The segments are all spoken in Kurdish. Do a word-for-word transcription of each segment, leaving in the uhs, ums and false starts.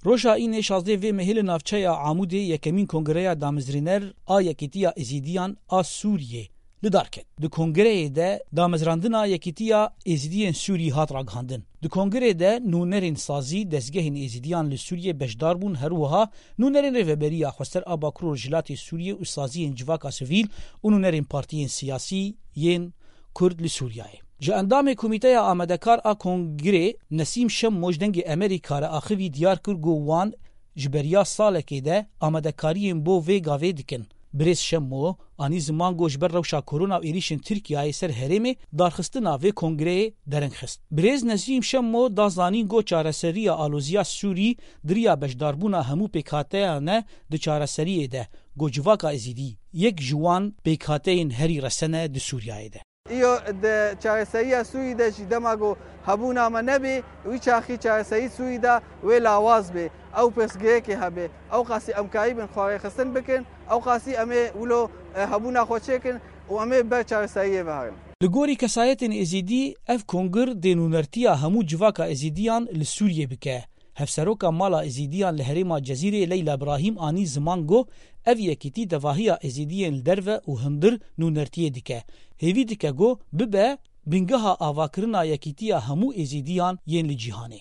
Roja înê şazdeh vê mehê li navçeya Amûdê yekemîn kongreya damezrêner a Yekîtiya Êzîdiyan a Sûriyê li dar ket. Di kongreyê de damezrandina Yekîtiya Êzîdiyên Sûrî hat ragihandin. Di kongrê de nûnerên sazî dezgehên Êzîdiyan li Sûriyê beşdar bûn, her wiha nûnerên Rêveberiya Xweser a Bakur û Rojhilatê Sûriyê û saziyên civaka sivîl û nûnerên partiyên siyasî yên Kurd li Sûriyeyê. Ji endamê Komîteya Amadekar a Kongrê Nesîm Şemmo ji Dengê Emerîka re axivî diyar kir ku wan ji beriya salekê de amadekariyên bo vê gavê dikin. Birêz Şemmo anî ziman ku ji ber rewşa korona û êrîşên Tirkiyeyê ser herêmê darxistina vê kongreyê dereng xist. Birêz Nesîm Şemmo da zanîn ku çareseriya aloziya Sûrî di riya beşdarbûna hemû pêkhateyan e di çareseriyê de, ku civaka Êzîdî yek ji wan pêkhateyên herî resen e di Sûriyeyê de. Îro di çareseriya Sûrî de jî dema ku hebûna me nebê, wî çaxî çareserî Sûrî de wê lawaz bê. Ew pirsgirêkê hebe. Ew qasî em karîbin xwe rêxistin bikin, ew qasî em ê wilo, e, hebûna xwe çêkin û em ê ber çareseriyê veherin. Li gorî kesayetên Êzîdî, ev kongir dê nûnertiya hemû civaka Êzîdiyan li Sûriyê bike. Hevseroka Mala Êzîdiyan li herêma Cezîrê Leyla Birahîm anî ziman ku ev yekîtî tevahiya Êzîdiyên li derve û hundir nûnertiyê dike. Hêvî dike ku bibe bingeha avakirina yekîtiya hemû Êzîdiyan yên li cîhanê.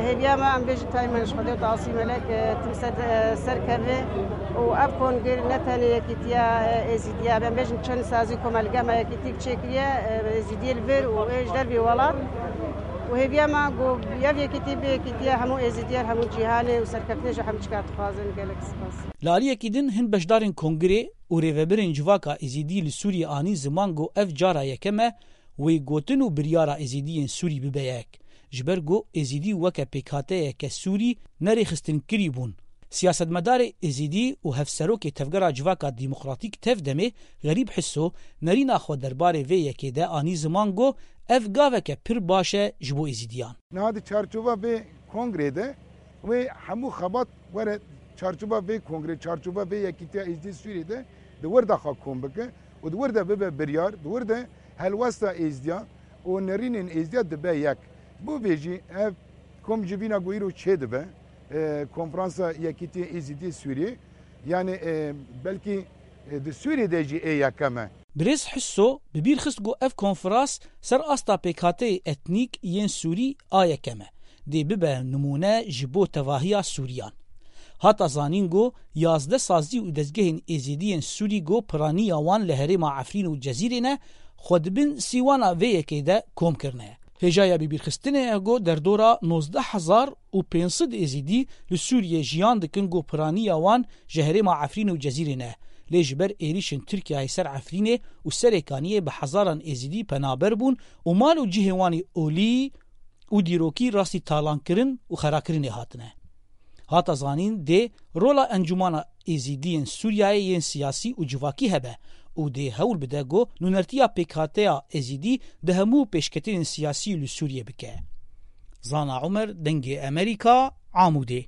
Hêviya me, em bêjin tayê me ji Xwedê û Tasî Melek, e, tim ser, e, serkeve û ev kongir ne tenê yekîtiya, e, Êzîdiya, em bêjin çend sazî komelge me yekîtîk çêkiriye, e, Êzîdiyê li vir û ê ji dervê welat. Û hêviya me ku ev yekîtî bê yekîtiya hemû Êzîdiyan, hemû cîhanê û serkeftinê ji hemû çikat dixwazin. Gelek spas. Li aliyekî din hin beşdarên kongirê û rêvebirên civaka Êzîdî li Sûriyê anî ziman ku ev cara yekem e wê gotin û biryara Êzîdiyên Sûrî bibe yek. Ji ber ku Êzîdî weke pêkhateyeke Sûrî nerêxistinkirî bûn. Siyasetmedarê Êzîdî û hevserokê Tevgera Civaka Demokratîk, TEV-DEMê, Xerîb Hiso, nerîna xwe derbarê vê yekê de anî ziman ku ev gaveke pir baş e ji bo Êzîdiyan. Niha di çarçova vê kongrê de wê hemû xebat were çarçova vê kongrê, çarçova vê yekîtiya Êzîdî Sûriyê de di wir de xwe kom bike û di wir de bibe biryar, di wir de helwesta Êzîdiya û nerînên Êzîdiya dibe yek. Bo vê jî ev kom ji vîna ku îro çêdibe, e, Konferansa Yekîtiyê Êzîdî Sûriyê, yanî, e, belkî, e, di Sûriyê de jî ê yekem e. Birêz Hiso bi bîr xist ku ev konferans ser asta pêkhateyê etnîk yên Sûrî a yekem e. Dê bibe nimûne ji bo tevahiya Sûriyan. Hata zanîn ku yazdeh sazî û dezgehên Êzîdiyên Sûrî ku piraniya wan li herêma Efrîn û Cezîrê ne, xwe di bin sîwana vê yekê de kom kirine. Hêjaya bibîrxistinê ye ku derdora nozdeh hezar û pênc sed Êzîdî li Sûriyê jiyan dikin ku piraniya wan ji herêma Efrîn û Cezîrê ne. Lê ji ber êrîşên Tirkiyeyê ser Efrînê û Serêkaniyê bi hezaran Êzîdî penaber bûn û mal û cihê wan ê olî û dîrokî rastî talankirin û xerakirinê hatine. Hata zanîn dê rola Encûmana Êzîdiyên Sûriyeyê yên siyasî û civakî hebe û dê hewl bide ku nûnertiya pêkhateya Êzîdî di hemû pêşketinên siyasî li Sûriyê bike. Zana Umer, Dengê Emerîka, Amûdê.